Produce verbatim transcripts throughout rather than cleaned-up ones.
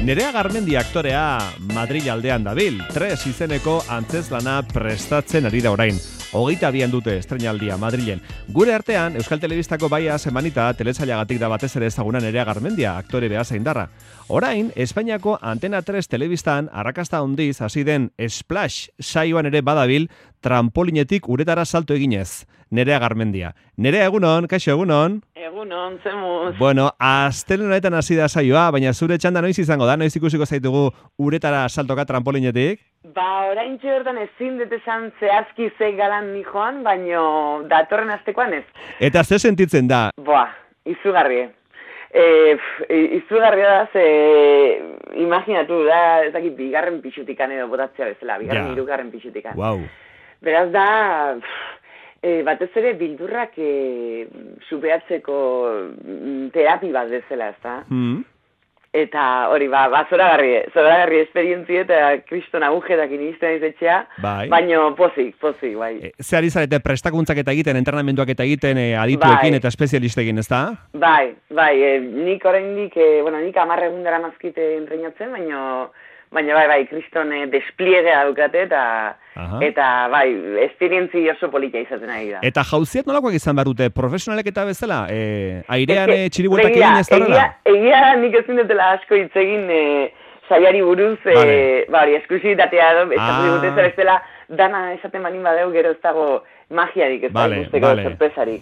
Nerea Garmendia aktorea Madril aldean dabil, Tres izeneko antzezlana prestatzen ari da orain. Hogeita bian dute estreinaldia Madrilen. Gure artean, Euskal Telebistako baia semanita telesailagatik da batez ere ezaguna Nerea Garmendia, aktore behazaindarra. Orain, Espainiako Antena tres telebistan arrakasta handiz hasi den Splash saioan ere badabil trampolinetik uretara salto eginez. Nerea Garmendia. Nerea, egunon, kaixo, egunon? Egunon, zemuz. Bueno, astelehen honetan hasi da saioa, baina zure txanda noiz izango da, noiz ikusiko zaitugu uretara saltoka trampolinetik? Ba, orain bertan ezin dut esan zehazki ze galan nijoan, baino datorren astekoan ez. Eta ze sentitzen da? Boa, izugarri. E, izugarria da, ze imaginatu da, ez dakit, bigarren pixutikan edo botatzea bezala, bigarren Ja. hirugarren pixutikan. Wow. Beraz da, e, batez ere bildurrak e, subeatzeko terapi bat bezala, ez da? Hmm. Eta hori, ba, ba zoragarri, zoragarri esperientzia eta kriston agujetak inizten izetxea, Bai. baino pozik, pozik, bai. E, ze ari zarete prestakuntzak eta egiten, entrenamenduak eta egiten e, adituekin Bai. eta espezialistekin, ez da? Bai, bai, e, nik oraindik, e, bueno, nik amarre egun dara mazkite entrenatzen, baino, baina bai, bai, kriston e, despliegea dukate eta, Aha. eta bai, esperientzi oso polita izaten ari da. Eta jauziet nolakoak izan behar dute, profesionalek eta bezala? E, airean Eske, e, txiribueltak begira, egin ez da horrela? Egia, egia da nik ezin dutela asko hitz egin e, saiari buruz, e, Vale. ba hori, esklusibitatea edo, estatu Ah. digute zer bestela, dana esaten banin badeu, gero ez dago magiarik, ez da Vale, ikusteko vale. sorpresarik.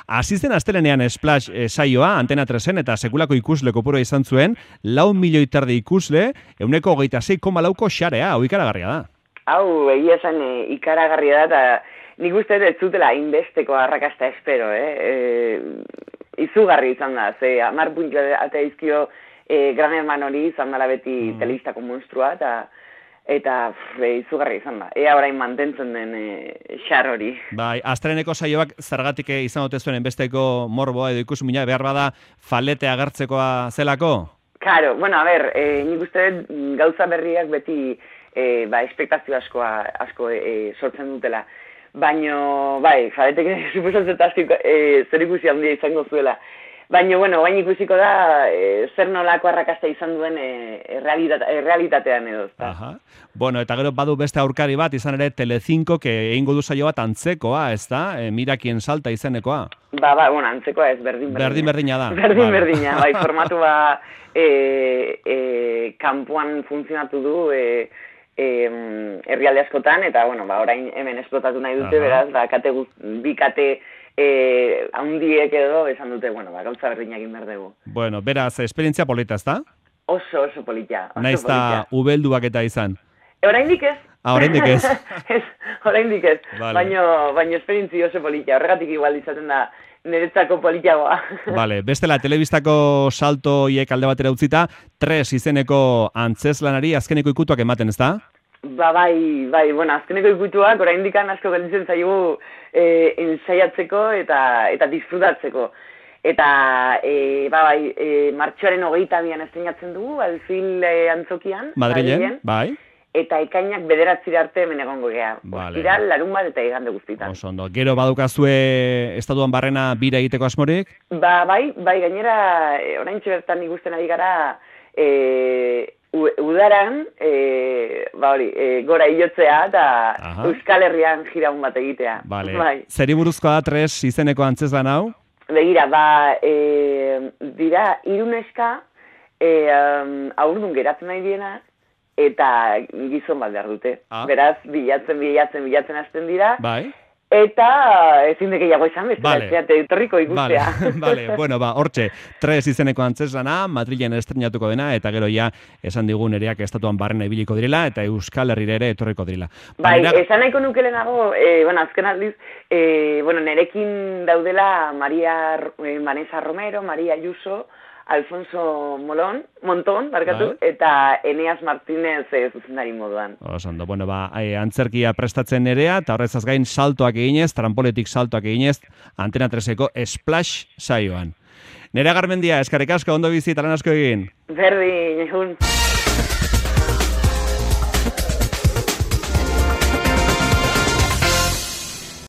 Hasi zen astelenean Splash e, saioa, Antena tresen eta sekulako ikusle kopurua izan zuen, lau milioi terdi ikusle, euneko hogeita sei koma lauko xarea, hau ikaragarria da. Hau, egia esan e, ikaragarria da, eta nik uste dut ez zutela inbesteko arrakasta espero, eh? E, izugarri izan da, ze amar puntu eta izkio e, Gran Hermano hori izan dela beti Mm. telebistako monstrua, eta eta pff, e, izugarri izan da. Ea orain mantentzen den e, xar hori. Bai, astreneko saioak zergatik e, izan ote zuen enbesteko morboa edo ikusmina, behar bada falete agertzekoa zelako? Claro, bueno, a ber, e, nik uste dut gauza berriak beti e, ba, espektazio askoa, asko e, sortzen dutela. Baino, bai, faretek suposatzen asko e, zer ikusi handia izango zuela. Baina, bueno, baina ikusiko da e, zer nolako arrakasta izan duen e, errealita, errealitatean edo. Ezta? Aha. Bueno, eta gero badu beste aurkari bat, izan ere Telecinco, que egingo du saio bat antzekoa, ez da? E, mira quien salta izenekoa. Ba, ba, bueno, antzekoa ez, berdin berdina. Berdin berdina da. Berdin Vale. berdina, bai, formatu ba e, e, kanpoan funtzionatu du e, e, herrialde askotan, eta, bueno, ba, orain hemen esplotatu nahi dute, Aha. beraz, ba, kate guz, bi kate e, haundiek edo esan dute, bueno, ba, gauza berdinak egin behar dugu. Bueno, beraz, esperientzia polita, ez da? Oso, oso politia, oso Naiz politia. eta ubelduak eta izan. E, oraindik ez. Ah, oraindik ez. ez, oraindik ez. Vale. Baino, baino esperientzi oso politia, horregatik igual izaten da niretzako politiagoa. Vale, bestela, telebistako salto hiek alde batera utzita, Tres izeneko antzezlanari azkeneko ikutuak ematen, ez da? Ba, bai, bai, bueno, azkeneko ikutuak oraindik asko gelditzen zaigu e, ensaiatzeko eta eta disfrutatzeko. Eta, e, ba, bai, e, martxoaren hogeita bian estrenatzen dugu, Alfil e, antzokian. Madrilen, bai. Eta ekainak bederatzira arte hemen egongo gea. Vale. Ostiral, larun bat eta igande guztitan. Oso ondo. Gero badukazue estatuan barrena bira egiteko asmorik? Ba, bai, bai, gainera, e, oraintxe bertan ikusten ari gara, e, u, udaran, e, ba hori, e, gora hilotzea eta Aha. Euskal Herrian jiraun bat egitea. Vale. Bai. Zeri buruzkoa da Tres izeneko antzezlan hau? Begira, ba, e, dira, iruneska, e, um, aurdun geratzen nahi diena, eta gizon bat behar dute. Ah. Beraz, bilatzen, bilatzen, bilatzen hasten dira, Bai. eta ezin de gehiago esan bezala, Vale. vale. etorriko Vale, ikustea. vale. Bueno, ba, hortxe, Tres izeneko antzeslana, Madrilen estrenatuko dena, eta gero ja, esan digu nereak estatuan barrena ibiliko direla, eta Euskal Herrira ere etorriko direla. Bai, Nera- esan nahiko nukelenago, e, bueno, azken aldiz, e, bueno, nerekin daudela Maria, e, Vanessa Romero, Maria Ayuso, Alfonso Molón, Monton, barkatu, Bai. eta Eneas Martínez e, zuzendari moduan. Oso ondo, bueno, ba, e, antzerkia prestatzen nerea, eta horrezaz gain saltoak eginez, trampoletik saltoak eginez, Antena treseko Splash saioan. Nerea Garmendia, eskarrik asko, ondo bizi, eta lan asko egin. Berdin, egun.